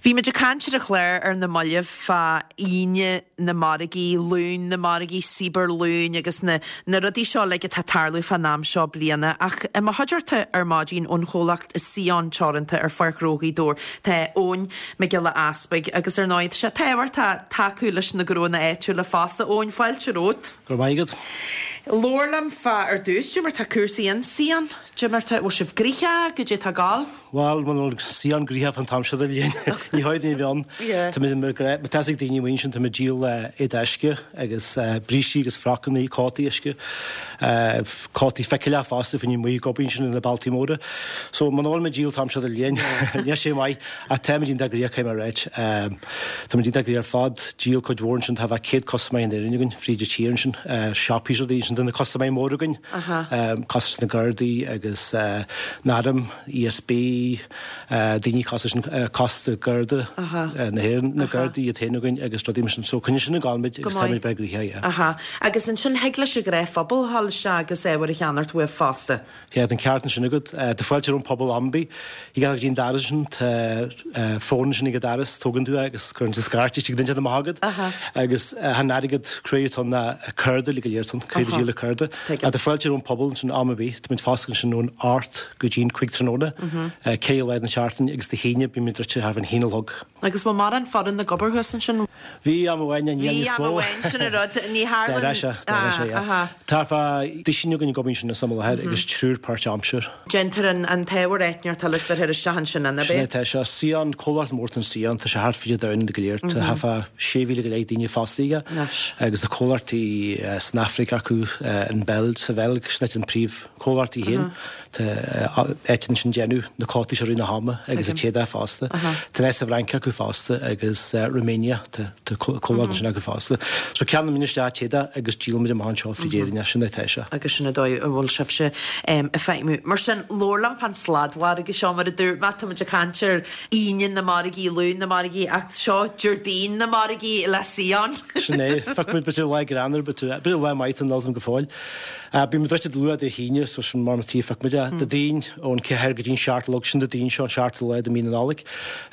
Bhí muid ag caint ar an chlár ar na mallaibh fá Aoine na margaí, Luan na margaí, Cyber Luan agus na na rudaí seo uilig atá ag tarlú fán am seo bliana. Ach i mo chuideachta ar maidin ón chomhlacht Sion Teoranta ar Pháirc Ghnó Ghaoth Dobhair tá Eoin Mac Giolla Easpaig agus ar ndóigh tá sé tábhachtach tacú leis na gnónna áitiúla fosta. Eoin, fáilte romhat. Go raibh maith agat. Labhair liom fá ar dtús, cad é mar tá cúrsaí in Sion, cad é mar tá, bhfuil sibh gnoitheach, goidé tá ag gabháil? Bhuel, muna bhfuil Sion gnoitheach fán t-am seo de bhliain, ní dóigh duine a bheith ann. Tá muid, má tá fhios ag daoine amuigh ansin, tá muid ag díol éadaí uisce agus brístí agus frocanna, cótaí uisce, cótaí ficeallach fosta fá choinne amuigh ag obair ansin ar na bealtaí móra. So, muna bhfuil muid ag díol an t-am seo de bhliain, níl sé maith. Ach táimid iontach gnoitheach, caithfidh mé a ráit. Táimid iontach gnoitheach ar fad. Díol cuid mhór ansin, tá thart fá 100 custaiméir in Éirinn againn, fríd an tír ansin. Siopaí is rudaí ansin, tá na custaiméirí móra againn, cosúil leis na Gardaí agus an Arm, ESB, daoine cosúil leis an Costas Garda na hÉireann, na Gardaí iad féin againn agus rudaí mar sin. So coinníonn sin ag gabháil muid agus táimid breá gnoitheach, yeah. Aha. Agus ansin thig leis an ghnáthphobal a ghabháil isteach agus ábhar a cheannacht uaibh fosta. Yeah, tá an ceart ansin agat. Tá fáilte roimh an pobal am ar bith. Thig leat dul go dtí an doras ansin, tá fón ansin ag an doras, tógann tú é agus cuireann tú scairt istigh duine amach agat. Agus chan airgead cruaidh atá ann ná cárta uilig go léir atá ann, caithfidh tú díol le cárta. Ach tá fáilte roimh an pobal ansin am ar bith. Táimid foscailte ansin ón 8 go dtí an 5 tráthnóna, 4 lá den seachtain agus Dé hAoine bímid druidte thart fán haon a chlog. Agus bhfuil mórán foireann ag obair thuas ansin? Bhí am amháin, níl Bhí níos am mó. amháin, sin an rud. Ní tharlann. D'éirigh sé, d'éirigh sé, yeah. Tá thart fá duisín againn ag obair ansin san am i láthair agus triúr páirt-aimsir. Déantar an t-ábhar eitneachta le bheith isteach ansin, an Sin é atá sé. Sion, comhlacht mór atá in Sion, tá sé thart fríd an domhan go léir. Tá thart fá 6,000 go leith daoine fostaithe aige agus tá comhlachtaí san Afraic acu, an Beilg, sa Bheilg, sin áit an príomh-chomhlacht í féin. Tá áit ansin ag déanamh na cótaí seo i rith na hama agus an t-éadach fosta. Tá áit sa bhFrainc acu fosta agus Romania, tá comhlacht ansin acu fosta. So ceannaíonn muid isteach t-éadach agus díolann muid amach anseo fríd Éirinn é, sin é atá sé. Agus sin an dóigh a bhfuil sibhse ag feidhmiú. Mar sin, labhair liom fán sladmhargadh seo, mar a dúirt mé, tá muid ag caint ar Aoine na margaí, Luan na margaí, ach seo Déardaoin na margaí le Sion. Sin é. Phioc muid b'fhéidir lá greannmhar, b'fhéidir lá maith atá ann go fóill. Bíonn muid druidte luath Dé hAoine, so sin mar tí a phioc muid é. Dé Daoin, ón 4 go dtí'n 7 a chlog, sin Dé Daoin seo, an seachtú lá de mí na Nollag.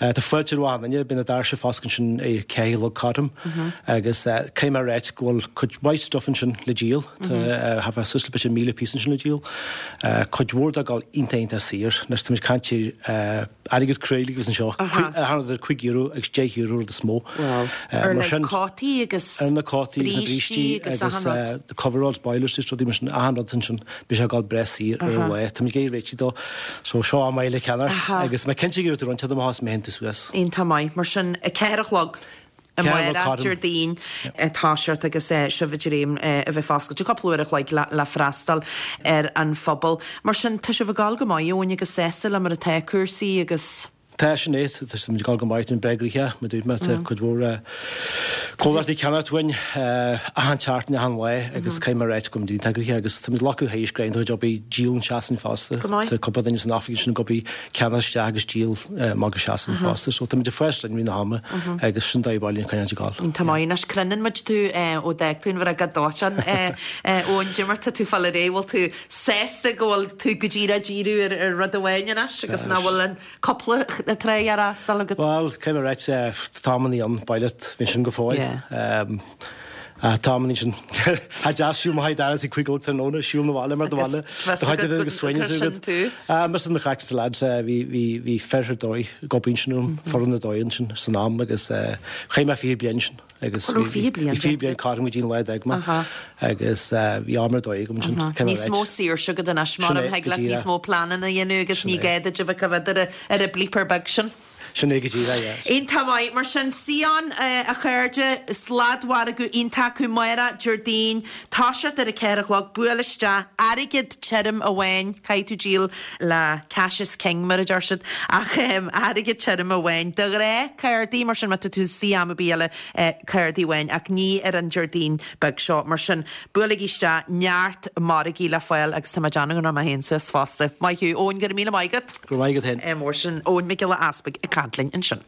Tá fáilte roimh achan duine, beidh na doirse foscailte ansin ag 4 a chlog cothrom agus caithfidh mé a ráit go bhfuil cuid mhaith stuff ansin le díol. Tá thart fá suas le b'fhéidir 1,000 píosa ansin le díol. Cuid mhór de ag dul iontach iontach saor. Anois tá muid ag caint ar airgead cruaidh a bhíos anseo, achan rud idir €5 agus €10 rud is mó. Ar na cótaí agus Ar na cótaí agus na brístí agus achan rud. The coveralls, boilers is rudaí mar sin, achan rud ansin, beidh sé ag dul breá saor ar an lá. Tá muid ag iarraidh réitigh dó. So seo am maith le ceannacht agus mé cinnte go raibh tú roinnt amach as mé tú suas. Iontach maith. Mar sin, 4 a chlog. Amárach, Déardaoin, toiseacht agus sibh ag dréim a bheith foscailte cúpla uair a chloig le freastal ar an phobal. Mar sin, tá sibh ag gabháil go maith, Eoin, agus sásta le mar atá cúrsaí agus. Tá, sin é. Tá muid ag gabháil go maith, tá muid breá gnoitheach, mar a dúirt mé, tá cuid mhór comhlachtaí ag ceannacht uainn achan tseachtain, achan lá agus caithfidh mé a ráit go bhfuil muid iontach gnoitheach agus tá muid ag théis greim do chuid obair díol an seasain fosta. Tá cúpla duine san oifig ansin ag obair ceannach isteach agus díol amach go Sasain fosta. So táimid ag fás linn i rith na hama agus sin dóigh bhaile an choinneáil ag gabháil. Tá maith anois, cluineann muid tú ó d'fhág tú an bhreac dóiteáin Eoin cad é mar tá tú fáil ar aghaidh, bhfuil tú sásta go bhfuil tú go díreach ag díriú ar rud amháin anois agus nach bhfuil an cúpla tráigh á fhreastal agat? Bhuel, caithfidh mé a ráit, tá amannaí ann, bail leat, bhí sin go fóill. Tá amannaí sin. Tá deas siúl mo haghaidh ag 5 a chlog tráthnóna, siúl na bhaile mar do bhaile. Do chuid de agus suaimhneas agat. Mise na craic the lads, bhí bhí bhí fir ar dóigh ag obair ansin orm, foireann ar dóigh ansin san am agus chaith mé 20 bliain ansin agus bhí 20 bliain bhí 20 bliain cothrom go dtí an lá a d'fhág mé agus bhí am ar dóigh agam ansin. Níos mó saoirse agat anois mar a thig leat níos mó pleananna a dhéanamh agus ní gá duit a bheith ag coimhéad ar an bleeper beag sin. Sin é go díreach, yeah. Iontach maith. Mar sin, Sion, a chairde, sladmhargadh iontach acu amárach, Déardaoin, toiseacht ar a 4 a chlog, buail isteach, airgead tirim amháin, caithfidh tú díol le cash is king mar a deir siad, ach airgead tirim amháin, de ghnáth, cártaí, mar sin má tá tú istigh am ar bith eile, cártaí amháin, ach ní ar an Déardaoin beag seo. Mar sin, buailigí isteach, neart margaí le fáil agus tá mé ag déanamh go rachaidh mé féin suas fosta. Maith thú. Eoin, go raibh míle maith agat. Go raibh maith agat féin. Mór sin Eoin Mac Giolla Easpaig ag caint linn ansin.